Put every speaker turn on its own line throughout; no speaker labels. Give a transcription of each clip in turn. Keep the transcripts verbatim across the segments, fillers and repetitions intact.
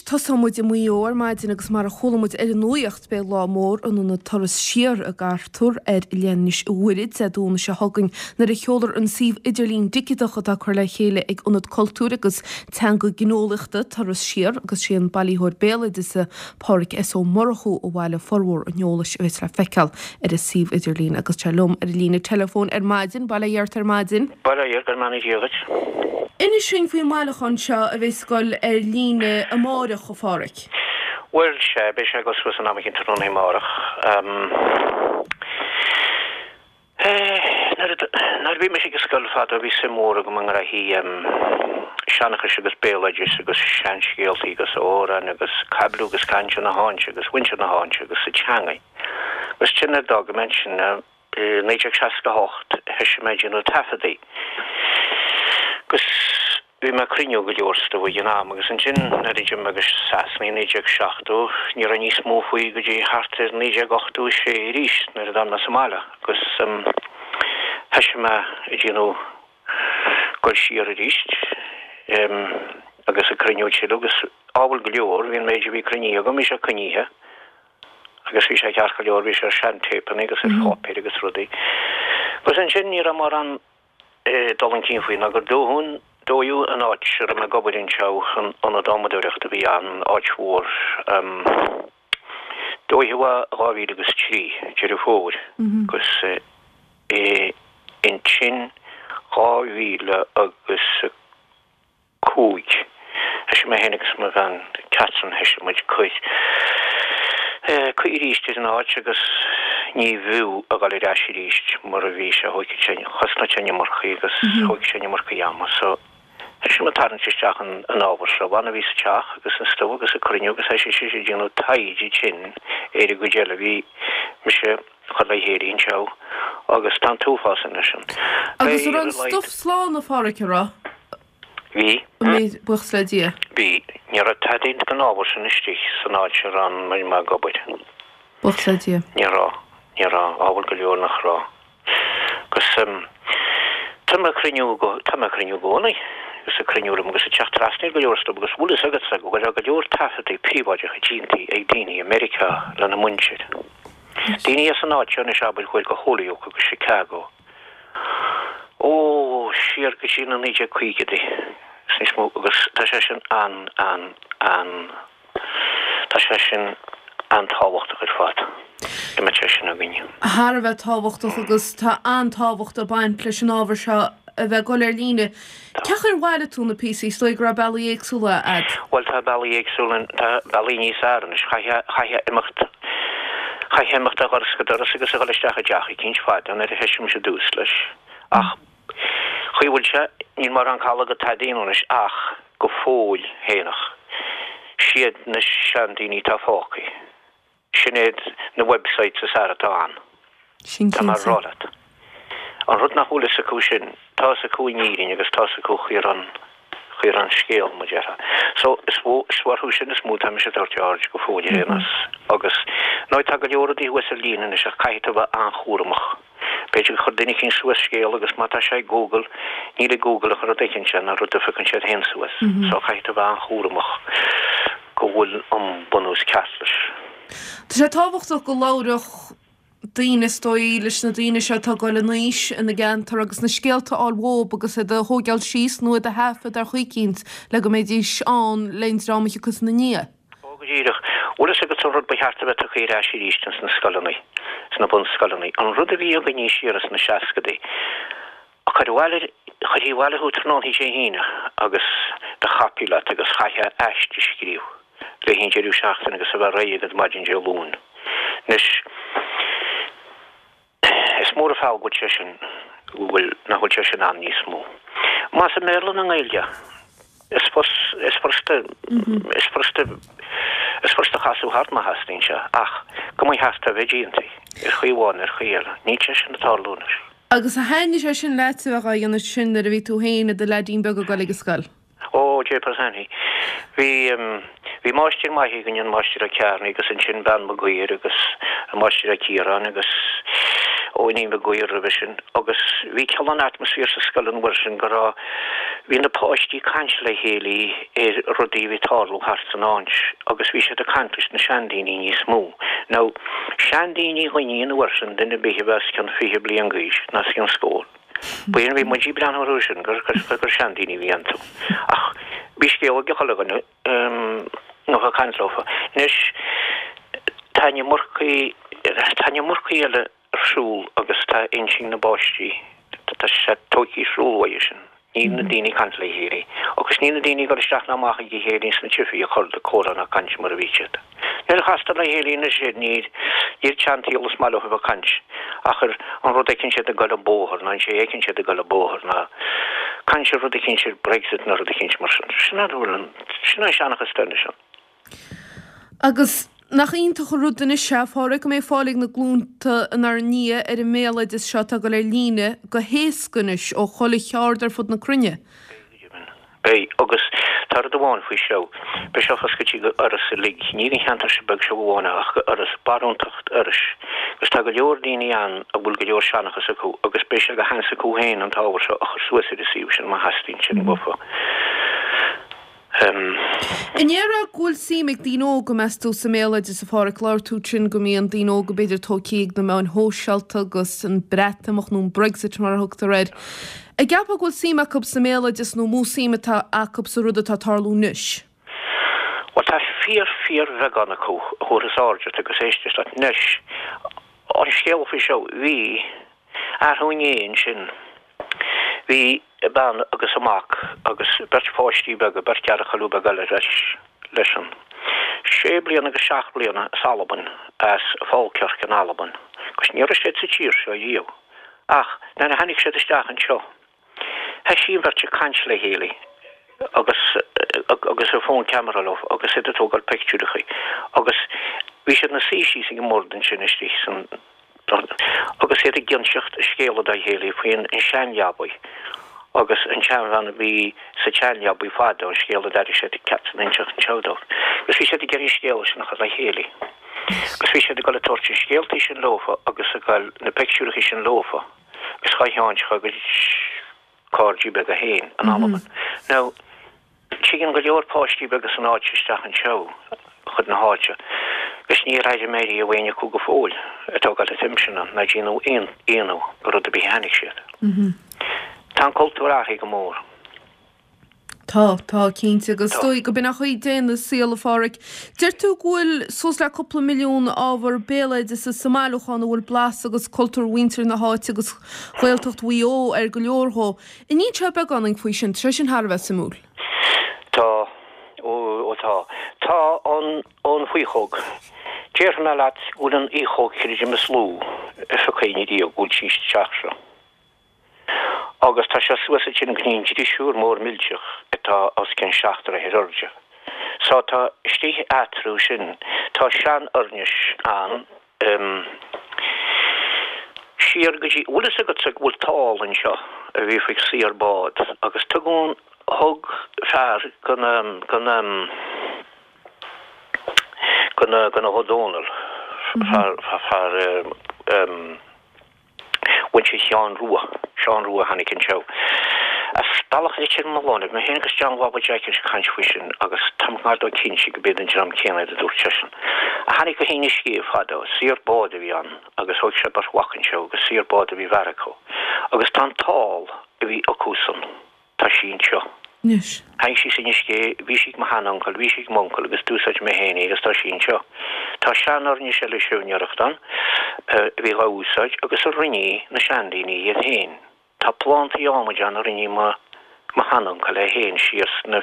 tosóidh muid i Maigh Eo ar maidin agus mar a chuala muid ar an nuacht beidh lá mór in ionad Turas Siar i gCartúr ar Oileán Inis Mhuire Dé Domhnaigh seo chugainn nuair a sheolfar an suíomh idirlín digiteach atá curtha le chéile ag Ionad Cultúir agus Teanga Gineolaíochta Turas Siar agus sé an bailitheoir béaloideasa Pádraig S. Ó Murchú a bhailigh formhór an eolais a bheas le feiceáil ar an suíomh idirlín agus tá liom ar an líne teileafóin ar maidin, Bail ó Dhia ort ar maidin.
Bail ó Dhia go mbeannaí Dia dhuit.
Inis dúinn faoin mbailiúchán seo a bheas ag dul ar líne amárach, a Pháraic.
Bhuel, sea, beidh sé ag dul suas in am eicínt tráthnóna amárach. Nuair a bhí mise ag an scoil fadó bhí suim mhór agam i ngraithí seanchais agus béaloidis agus seanscéaltaí agus amhráin agus caibidliú agus caint na háite agus mhuintir na háite agus sa teangaidh. Agus sin nuair a d'fhág mé ansin i naoi déag seasca a hocht thoisigh mé ag déanamh taifeadaí. Agus bhí mé ag cruinniú go leor stuif ag an am agus ansin nuair a d'imigh mé go Sasana i naoi déag seachtó ní raibh níos mó faoi go dtí thart ar naoi déag ochtó a sé arís nuair a d'fhan mé sa mbaile agus thoisigh mé ag déanamh dul siar arís agus ag cruinniú tuilleadh agus ábhar go leor, bhí an méid a bhí cruinnithe agam, bhí sé coinnithe agus bhí sé ceart go leor, bhí sé ar seantéipeanna agus ar pháipéir agus rudaí. Agus ansin ní raibh mórán dul chun cinn faoi ná gur dódh dódh an áit a raibh mé ag obair anseo, an ionad adhmadóireachta a bhí ann, áit mhór. Dódh é dhá mhíle agus trí, Deireadh Fómhair, agus ansin dhá mhíle agus a cúig. Thoisigh mé féin agus mo bhean Catherine, thoisigh muid cur caoi arís ar an áit agus ní bhfiú a dhul ar ais arís mar a bhí sé, thóigfeadh sé, chosnódh sé an iomarcaí agus thóigfeadh sé an iomarcaí ama so thoisigh muid tarraingt isteach an an ábhar seo, b'annamh a bhí sa teach agus an stuif agus ag cruinniú agus thoisigh sise ag déanamh taighde ansin ar an gcuid eile a bhí mise a chur le chéile anseo agus tá an t-uafás anois ann.
Agus an raibh an stuif slán a Pháraic, an raibh?
Bhí.
Bhí, buíochas le Dia.
Bhí. Ní raibh tada den ábhar sin istigh san áit a raibh mé ag obair.
Buíochas le Dia.
Ní raibh. Ní raibh. Ábhar go leor nach raibh. Agus tá mé ag cruinniú go, tá mé ag cruinniú i gcónaí. Agus ag cruinniú liom agus ag teacht trasna ar go leor stuif agus bhfuil fhios agatsa go bhfuil go leor taifeadtaí príobháideacha déanta ag daoine i Meiriceá lena muintir. Daoine as an áit seo anois abair chuaigh go Holyoke agus Chicago. Ó, siar go dtí na naoi déag caogaidí is níos mó agus tá sé sin an, an, an, tá sé sin an-tábhachtach ar fad go mbeadh sé sin againn.
Thar a bheith tábhachtach agus tá an-tábhacht ag baint leis an ábhar seo a bheith ag dul ar líne. Cén chaoi ar bhailigh tú na píosaí? Is dóigh go raibh bealaí éagsúla a'd.
Bhuel tá bealaí éagsúla, tá bealaí níos fearr anois. Chaithfeá, chaithfeá imeacht, chaithfeá imeacht ó dhoras go doras agus a dhul isteach i dteach eicínt fada nuair a thoisigh mise i dtús leis. Ach chaoi a bhfuil sé, níl mórán call agat tada a dhéanamh anois ach go fóill fhéineach, siad na seandaoine atá fágtha. Sin iad na websites is fearr atá ann.
Sin
Tá mé a
cinnte.
rá leat. An rud nach bhfuil fhios acu sin, tá fhios acu in Éirinn agus tá fhios acu chaoi a raibh an, chaoi a raibh an scéal, mar a déarfá. So, is mó, is orthu sin is mó atá mise ag tabhairt aird go fóill ar aon nós. Agus, nó tá go leor rudaí thuas ar líne anois ach caithfidh tú a bheith an-chúramach. B'fhéidir gur chuir duine eicínt suas scéal agus má tá sé ag Google, níl ag Google ach an rud a fheiceann sé, ná rud a phiocann siad féin suas. So caithfidh tú a bheith an-chúramach go bhfuil an bunús ceart leis.
Tá sé tábhachtach go labhródh daoine is dóigh leis na daoine seo atá ag dul in aois ina gceantar agus na scéalta a fháil uathu agus iad a thógáil síos nó iad a thaifead ar chaoi eicínt le go mbeidís ann le an dream a thiocfas ina ndiaidh.
Ó, go díreach. Bhfuil fhios agat an rud ba cheart a bheith tugtha ar ais arís ins na scoileanna, sna bunscoileanna, an rud a bhí againne siar ins na seascadaí, a chur abhaile, chuirfí abhaile thú tráthnóna Dé hAoine agus do chapall leat agus chaithfeá aiste a scríobh le haghaidh an deireadh seachtaine agus a bheith réidh agat maidin Dé Luain. Anois, is mór an feall go bhfuil sé sin, go bhfuil, nach bhfuil sé sin ann níos mó. Más i mBéarla nó i nGaeilge, is is furasta, is furasta, is furasta casadh thart má theastaíonn sé, ach go mba cheart a bheith déanta, ar chaoi amháin nó ar chaoi eile. Níl sé sin ag tarlú anois.
Agus ar thaitnigh sé sin leat a bheith á dhéanamh sin nuair a bhí tú féin i do leaidín beag ag dul ag an scoil?
Ó, jeepers Annie. Bhí, bhí máistir maith againn, an Máistir Ó Cearnaigh agus ansin bean Maguire agus an Máistir Ó Ciaráin agus ó Iníon Mhic Goill roimhe sin agus bhí cineál an atmaisféar sa scoil an uair sin go raibh bhí na páistí ag caint le chéile ar rudaí a bhí ag tarlú thart san áit agus bhí siad ag caint leis na seandaoine níos mó. Now seandaoine dhuine an uair sin duine ar bith a bheith os cionn fiche bliain d'aois ná os cionn scór. B'in bhí muid ag breathnú orthu sin gur gur seandaoine a bhí iontu. Ach bhí scéal ag chuile dhuine nó ag caint leofa. Anois tá an iomarcaí tá an iomarcaí eile ar siúl agus tá intinn na bpáistí tá sé tógtha ar siúl uaidh sin. Níl na daoine ag caint le chéile. Agus níl na daoine ag dul isteach ná amach ag a chéile sna tithí a chur de comhrá ná caint mar a bhí siad. Nuair a chastar le chéile anois iad níl níl tseansaol is maith leo a bheith ag caint ach ar an rud a fheiceann siad ag dul an bóthar ná an sé a fheiceann siad ag dul an bóthar ná caint ar rud eicínt ar Brexit ná rud eicínt mar sin. Sin an bhfuil an sin an seanchas anois ann.
Agus nach iontach an rud anois é, a Pháraic, go mbeidh fáil ag na glúnta inár ndiaidh ar an mbéaloideas seo atá ag dul ar líne go héasca anois ó chuile cheard ar fud na cruinne.
Beidh, agus tá rud amháin faoi seo, beidh seo foscailte go Iorras uilig, ní don cheantar seo beag seo amháin ach go Iorras, barúntacht Iorrais, agus tá go leor daoine ann a bhfuil go leor seanchas acu agus beidh sé go seans acu féin an t-ábhar seo a chur suas ar an suíomh sin má theastaíonn sin uafa.
An ndéarfá go bhfuil suim ag daoine óga, meas tú, sa mbéaloideas, a Pháraic? Labhair tú ansin go mbíonn daoine óga b'fhéidir tógtha ag na meáin shóisialta agus an Breatimeacht nó an Brexit mar a thugtar air. An gceapfá go bhfuil suim acu sa mbéaloideas nó mó suim atá acu sa rud atá ag tarlú anois?
Bhuel tá fíor fíor bheagán acu a thabharfas aird ort agus éistfeas leat. Anois, an scéal faoi seo, bhí athrú inné ansin. Bhí bean agus a mac agus beirt pháistí beaga, beirt ghearrchailí beaga eile leis, leisean. Sé bliana agus seacht bliana as Albain, as Falkirk in Albain, agus ní raibh siad sa tír seo riamh. Ach nuair a tháinig siad isteach anseo, thoisigh an bheirt ag caint le chéile agus agus a phone camera leo agus iad ag tógáil pictiúrachaí agus bhí siad ina suí síos ag an mbord ansin istigh san agus iad ag inseacht scéala dá chéile faoin seanleabaidh agus an tseanbhean a bhí sa tseanleabaidh fadó, an scéal a d'airigh siad ceart san inseacht anseo dóibh. Agus bhí siad ag iarraidh an scéala sin a chur le chéile. Agus bhí siad ag dul ag tabhairt an scéaltaí sin leofa agus ag dul na pictiúrachaí sin leofa agus dhá sheáin dá gcuid cairde beaga féin in Albain. Now, Tigeann go leor páistí beaga san áit isteach anseo chun na háite agus níor airigh mé riamh éinne acu go fóill ag tógáil an tsuim sin ann ná déanamh aon ionadh gur rud ar bith a tháinig siad. Tá an cultúr athraithe go mór.
Tá, tá, cinnte, agus is dóigh go b'in an chaoi daonna sa saol, a Pháraic. Deir tú go bhfuil suas le cúpla milliún ábhar béaloideasa sa mbailiúchán a bhfuil blas agus cultúr mhuintir na háite agus Ghaeltacht Mhaigh Eo ar go leor dhó. An inseofá beagáinín faoi sin, tá sé sin thar a bheith suimiúil.
Tá, ó, ó tá. Tá an, an fhaochóg. Déarfaidh mé leat go bhfuil an fhaochóg creidim is lú a phioc éinne riamh go bhfuil sí sa teach seo. Agus tá sé suas ansin go dtí an drisiúr mór millteach atá os cionn seacht dtroithe ar airde. So tá istigh eatarthu sin, tá sean-uirlis ann, siar go dtí, bhfuil fhios agatsa go bhfuil tál anseo a bhí faoi saor bád agus tugann, thug fear go na, go na, go na, go na hÓ Dónaill, fear, fear, em, Mhuintir Sheáin Rua, Seán Rua a tháinig anseo as Bealach Leitir Mealláin. Bhí mé féin agus John Bhaba Jeaic ag caint faoi sin agus táim gar dó cinnte go b'iad an dream céanna iad a dúirt seisean. A tháinig go hInis Gé fadó, saor bád a bhí ann agus thóg sé beirt mhac anseo agus saor bád a bhí bhfear acu agus tá an tál a bhí acusan. Tá sí anseo.
Anois.
Tháinig sí as Inis Gé, bhí sí ag mo sheanuncail, bhí sí ag m'uncail agus d'úsáid mé féin í agus tá sí anseo. Tá sean-uirlis eile siúinéireachta ann a bhí dhá úsáid agus a rinne na seandaoine iad féin. Tá plántaí adhmaid ann a rinne mo mo sheanuncail é féin siar sna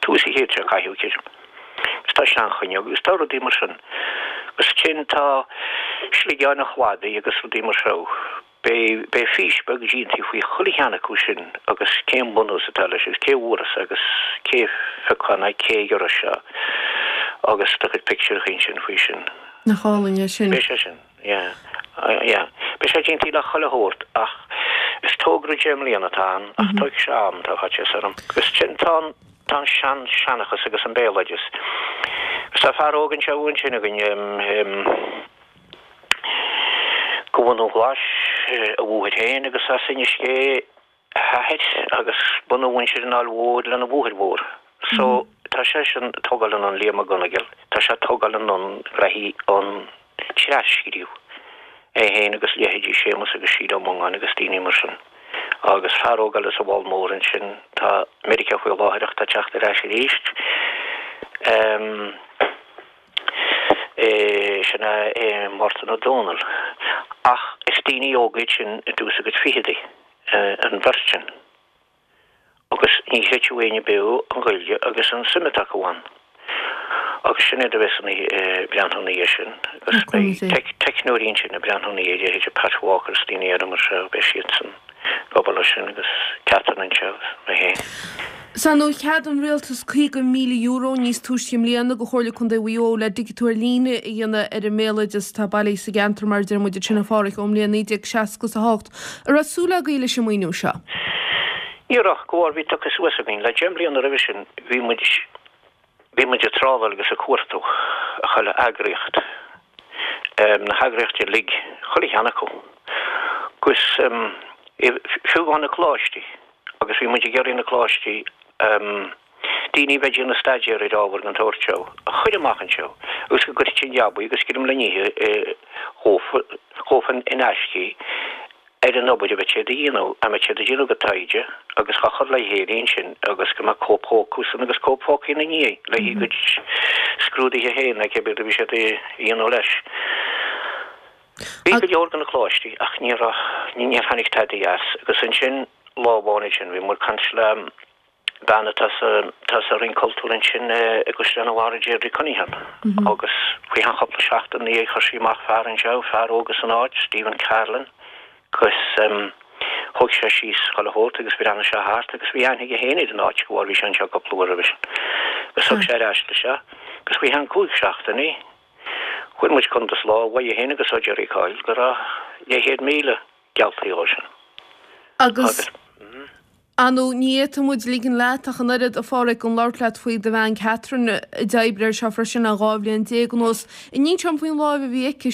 tús an chéid seo caite, creidim. Agus tá seanfhuinneog agus tá rudaí mar sin. Agus ansin tá sligeáin an chladaigh agus rudaí mar seo. Beidh beidh fís beag déanta faoi chuile cheann acu sin agus cén bunús atá leis agus cé a fuarthas agus cé a phioc é ná cé a ghiorraigh sé agus do chuid pictiúracha ansin faoi sin.
Nach álainn é sin.
Beidh sé sin, yeah, yeah. Beidh sé déanta le chuile shórt ach is togra deich mbliana atá ann ach tógfaidh sé am, tá faitíos orm. Agus sin tá an tá an sean seanchas agus an béaloideas. Agus tá fear óg anseo ansin againn, em, go Ó Dún Ghlais a mháthair féin agus as Inis Gé a hathair agus bunadh mhuintir an Aill Mhóir lena mháthair mhór. So tá seisean ag tógáil anonn, Liam Mac Gonigle, tá sé ag tógáil anonn graithí an tras-scríobh, é féin agus leithéidí Séamus agus Síle Ó Mongáin agus daoine mar sin. Agus fear óg eile sa bhFál Mór ansin, tá i Meiriceá faoi láthair ach tá ag teacht ar ais arís. Sin é Mártan Ó Dónaill. Ach is daoine óga iad sin i dtús a gcuid fichidí, an bheirt sin. Agus ní chreidfeadh éinne beo an Ghaeilge agus an suim atá acu ann. Agus sin iad a bheas ag breathnú ina dhiaidh sin. Agus beidh teicneoirí ansin ag breathnú ina dhiaidh, leithéidí Pat Walker is daoine eile mar seo, beidh siadsan ag obair leis sin agus Catherine anseo agus mé féin.
Sea, nó cheadaigh an rialtas caoga míle euro níos túisce i mbliana do Chomhairle Contae Mhaigh Eo le digitiú ar líne a dhéanamh ar an mbéaloideas atá bailithe sa gceantar mar a deir muid ansin a Pháraic ón mbliain naoi déag seasca is a hocht. An raibh súil agaibh leis an maoiniú seo?
Ní raibh, go bhar bhí tugtha suas againn. Le deich mbliana roimhe sin bhí muid bhí muid ag trádáil agus ag cuartú chuile eagraíocht, na heagraíochtaí uilig, chuile cheann acu, agus fiú amháin na coláistí. Agus bhí muid ag iarraidh na coláistí, daoine a bheith ag déanamh staidéar ar ábhar den tsórt seo, a chur amach anseo agus go gcuirfidís an jab agus greim le n-ithe dhófa in aisce ar an obair a bheadh siad a dhéanamh, a mbeadh siad a déanamh go taighde agus á chur le chéile ansin agus go mbeadh cóip acusan agus cóip fágtha ina ndiaidh le haghaidh a gcuid scrúduithe féin nó cibé rud a bhí siad a dhéanamh leis. Bhí go leor de na coláistí ach ní raibh, níor tháinig tadaí as agus ansin lá amháin ansin bhí muid ag caint le bean atá sa, atá sa Roinn Cultúir ansin i gCaisleán an Bharraigh, Deirdre Cunningham agus faoi cheann cúpla seachtain ina dhiaidh chuir sí amach fear anseo, fear óg as an áit, Stephen Carlin agus thóg sé síos chuile shórt agus bhreathnaigh sé thart agus bhí aithne aige féin ar an áit go bhfuair, bhí sé anseo cúpla uair roimhe sin agus thug sé ar ais leis é agus faoi cheann cúig seachtainí Fuair muid cuntas lá uaidh féin agus ó Gerry Coyle go raibh leathchéad míle geallta dhó sin.
Agus, ar ndóigh, ní fhéadfadh muid ligean leat ach an oiread, a Pháraic, gan labhairt leat faoi do bhean Catherine a d'oibrigh air seo freisin le dhá bhliain déag anuas. An inis dom faoin láimh a bhí aici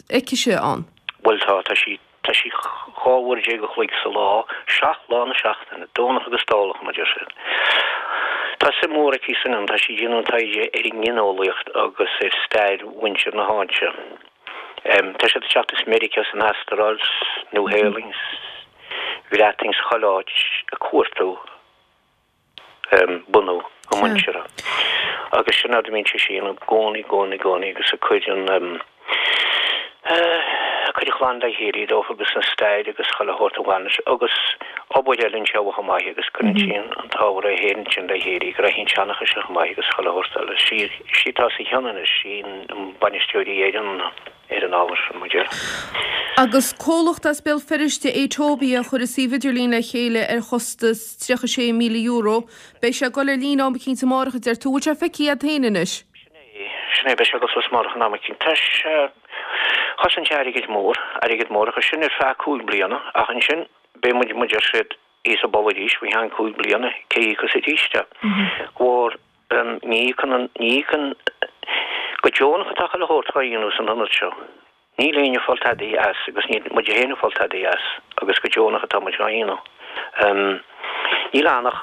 aicise ann?
Bhuel tá, tá sí Tá sí dhá uair déag a chloig sa lá, seacht lá na seachtaine, Domhnach agus Dáileach, mar a deir siad. Tá suim mhór aici san ann, tá sí ag déanamh taighde ar an ngineolaíocht agus ar stair mhuintir na háite. Tá siad ag teacht as Meiriceá, as an Astráil, 's Nua-Shéalainn, 's Bhreatain, 's chuile áit ag cuartú. bunú a muintire. Agus sin rud a mbíonn sise a dhéanamh i gcónaí, i gcónaí, i gcónaí agus ag cur an, ag cur an chlann le chéile dófa agus an stair agus chuile shórt a bhain leis agus obair eile anseo chomh maith agus cuireann sí an t-ábhar é féin ansin le chéile, graithí an tseanchais chomh maith agus chuile shórt eile. Sí, sí atá sa chionn anois, sí an bainisteoir ar an. ar an ábhar sin, mar a déarfá.
Agus comhlacht as Béal Feirste, Atobia, a chuir an suíomh idirlín le chéile ar chostas tríocha sé míle euro. Beidh sé ag dul ar líne am eicínt amárach, a deir tú. Bhfuil sé feicthe agat féin anois?
Sin é, sin é, beidh sé ag dul suas amárach in am eicínt. Tá sé, chosain sé airgead mór, airgead mór, agus sin ar feadh cúig bliana, ach ansin beidh muid, muid ar siad thíos an balla arís faoi cheann cúig bliana, cé a íocfas arís é? Mhór. Ní íocann an, ní íocann, go deonach atá chuile shórt dhá dhéanamh san ionad seo. Níl éinne ag fáil tadaí as agus níl muide féin ag fáil tadaí as agus go deonach atá muid dhá dhéanamh. Níl ann ach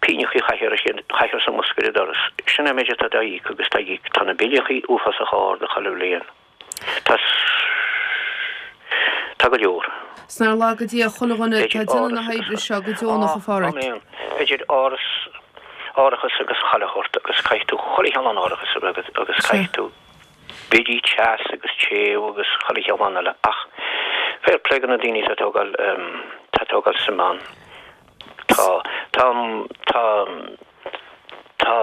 pingneachaí a chaithfear a chaithfear sa mbosca ar an doras. Sin é an méid atá dá íoc agus tá íoc, tá na billeachaí uafásach ard chuile bhliain. Tá, tá go leor.
'S nár laga Dia chuile dhuine atá ag déanamh na hoibre seo go deonach, a Pháraic.
Idir áras, árachas agus chuile shórt agus caithfidh tú chuile cheann árachas a bheith agat agus caithfidh tú billí teas agus téamh agus chuile cheann eile ach fair play do na daoine atá ag tógáil, atá ag tógáil suim ann. Tá, tá, tá, tá,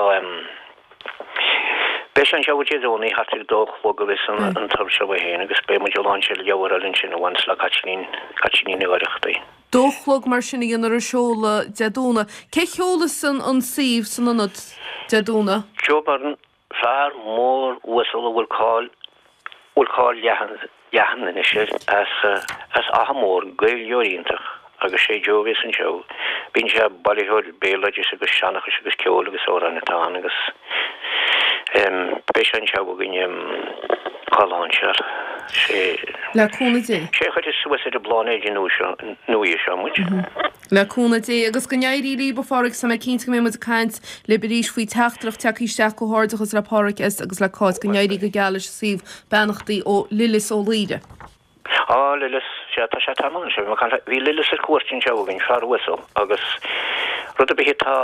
beidh sé anseo Dé Domhnaigh thart ar a dó a chlog a bheas an turas seo féin agus beidh muid ag lainseáil leabhar eile ansin a bhaineas le Caitlín, Caitlín Ní Oireachtaigh.
Dó a chlog mar sin a dhéanfar an seoladh Dé Domhnaigh. Cé sheolfas an suíomh san ionad Dé Domhnaigh?
Joe Byrne, fear mór uasal a bhfuil cáil bhfuil cáil leathan leathan anois air as as Achadh Mór, Gaeilgeoir iontach agus sé Joe a bheas anseo. Bíonn sé bailitheoir béaloidis agus seanchais agus ceoil agus amhráin atá ann agus beidh sé anseo againn Dhá lainseáil. Sé.
Le cúnamh Dé.
Sé a chuirfeas suas ar an bpláinéad nua seo, nuaí seo muid.
Le cúnamh Dé agus go n-éirí libh a Pháraic, tá mé cinnte go mbeidh muid ag caint libh arís faoi teachtaireacht tagtha isteach comhghairdeachas le Páraic S agus le Cáit go n-éirí go geal leis an suíomh beannachtaí ó Lillis Ó Laoire.
Á, Lillis, sea, tá sé tamall anseo, bhí mé ag caint le, bhí Lillis ar cuairt anseo againn, fear uasal, agus rud ar bith atá,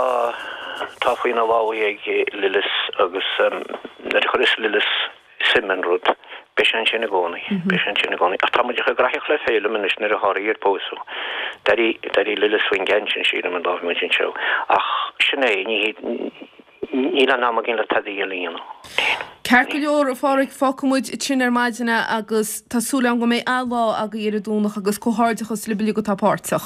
atá faoina lámhaigh ag Lillis agus nuair a chuireas Lillis suim in rud, beidh sé ansin i gcónaí, beidh sé ansin i gcónaí. Ach tá muid chomh graitheach le Féilim anois nuair a tharraing ar pósadh. D'éirigh, d'éirigh Lillis faoin gceann sin, sílim, an dá bhí muid anseo. Ach sin é, ní hé, níl an am againn le tada eile a dhéanamh.
Ceart go leor, a Pháraic, fágfaidh muid ansin ar maidin é agus tá súil agam go mbeidh an-lá agaibh ar an Domhnach agus comhghairdeachas libh uilig atá páirteach.